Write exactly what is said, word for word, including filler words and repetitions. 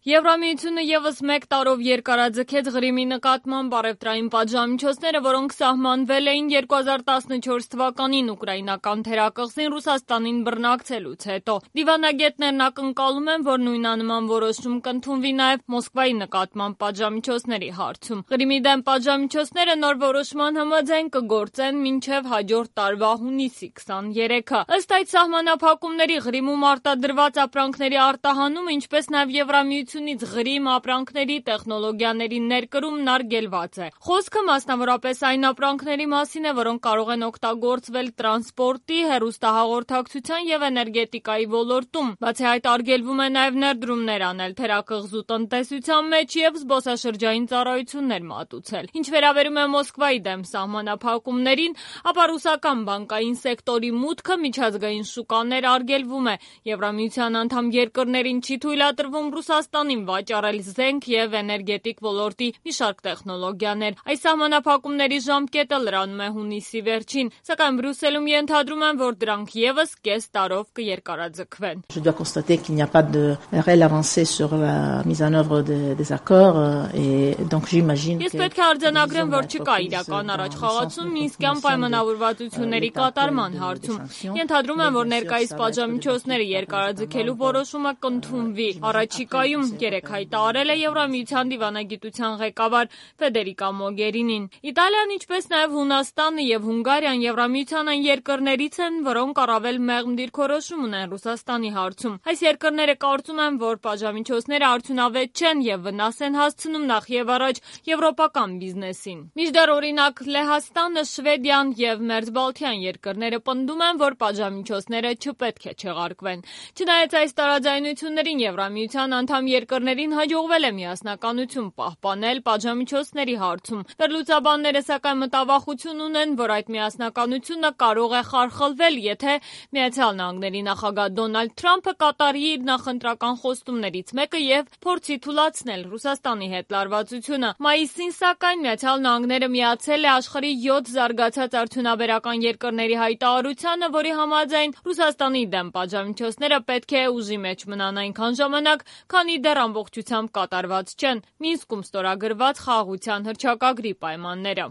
Եվրամիությունը ևս մեկ տարով երկարաձգեց Ղրիմի նկատմամբ առևտրային պատժամիջոցները, որոնք սահմանվել էին երկու հազար տասնչորս թվականին ուկրաինական թերակղզին Ռուսաստանին բռնակցելուց հետո։ Դիվանագետներն ակնկալում են, որ նույնանման որոշում կընդունվի նաև Մոսկվայի նկատմամբ պատժամիջոցների հարցում։ Ղրիմի դեմ պատժամիջոցները նոր որոշման համաձայն կգործեն մինչև հաջորդ տարվա հունիսի քսաներեքը։ Ըստ այդ սահմանափակումների Ղրիմում արտադրված ապրանքների արտահանումը, ինչպես նաև Եվրամիության Ղրիմ ապրանքների տեխնոլոգիաների ներկրումն արգելված է։ Խոսքը մասնավորապես այն ապրանքների մասին է, որոնք կարող են օգտագործվել տրանսպորտի, հեռուստահաղորդակցության եւ էներգետիկայի ոլորտում։ Բացի այդ, արգելվում է նաև ներդրումներ անել թերակղզու տնտեսության մեջ եւ զբոսաշրջային ծառայություններ մատուցել։ Ինչ վերաբերում է Մոսկվայի դեմ սահմանափակումներին, ապա ռուսական բանկային սեկտորի մուտքը միջազգային շուկաներ արգելվում է։ Եվրամիության անդամ երկրներին չի թույլատրվում Ռուսաստանին վաճառել զենք եւ էներգետիկ ոլորտի մի շարք տեխնոլոգիաներ։ Այս սահմանափակումների ժամկետը լրանում է հունիսի վերջին, սակայն Բրյուսելում ենթադրում են, որ դրանք ևս կես տարով կերկարաձգվեն։ Je dois constater qu'il n'y a pas de réelle avancée sur la mise en œuvre de, des accords et donc j'imagine que Ես պետք է արձանագրեմ, որ չկա իրական առաջխաղացում Մինսկյան պայմանավորվածությունների կատարման հարցում։ Ենթադրում եմ, որ ներկայիս պատժամիջոցները երկարաձգելու որոշումը կընդունվի։ Առաջիկայում երեք հայտարարել է Եվրամիության դիվանագիտության ղեկավար Ֆեդերիկա Մոգերինին։ Իտալիան, ինչպես նաև Հունաստանը եւ Հունգարիան Եվրամիության այն երկրներից են, որոնք առավել մեղմ դիրքորոշում ունեն Ռուսաստանի հարցում։ Այս երկրները կարծում են, որ պատժամիջոցները արդյունավետ չեն եւ վնաս են հասցնում նախ եւ առաջ եվրոպական բիզնեսին։ Մինչդեռ, օրինակ, Լեհաստանը, Շվեդիան եւ Մերձբալթյան երկրները պնդում են, որ պատժամիջոցները չպետք է չեղարկվեն։ Չնայած այս տարաձայնություններին Եվրամիության անդամ երկրներին հաջողվել է միասնականություն պահպանել պատժամիջոցների հարցում։ Վերլուծաբանները սակայն մտավախություն ունեն, որ այդ միասնականությունը կարող է խարխլվել, եթե Միացյալ Նահանգների նախագահ Դոնալդ Թրամփը կատարի իր նախընտրական խոստումներից մեկը եւ փորձի թուլացնել Ռուսաստանի հետ լարվածությունը։ Մայիսին, սակայն, Միացյալ Նահանգները միացել է աշխարհի յոթ զարգացած արդյունաբերական երկրների հայտարարությանը, որի համաձայն Ռուսաստանի դեմ պատժամիջոցները պետք է ուժի մեջ մնան այնքան ժամանակ, քանի դեռ ամբողջությամբ կատարված չեն Մինսկում ստորագրված խաղաղության հռչակագրի պայմանները։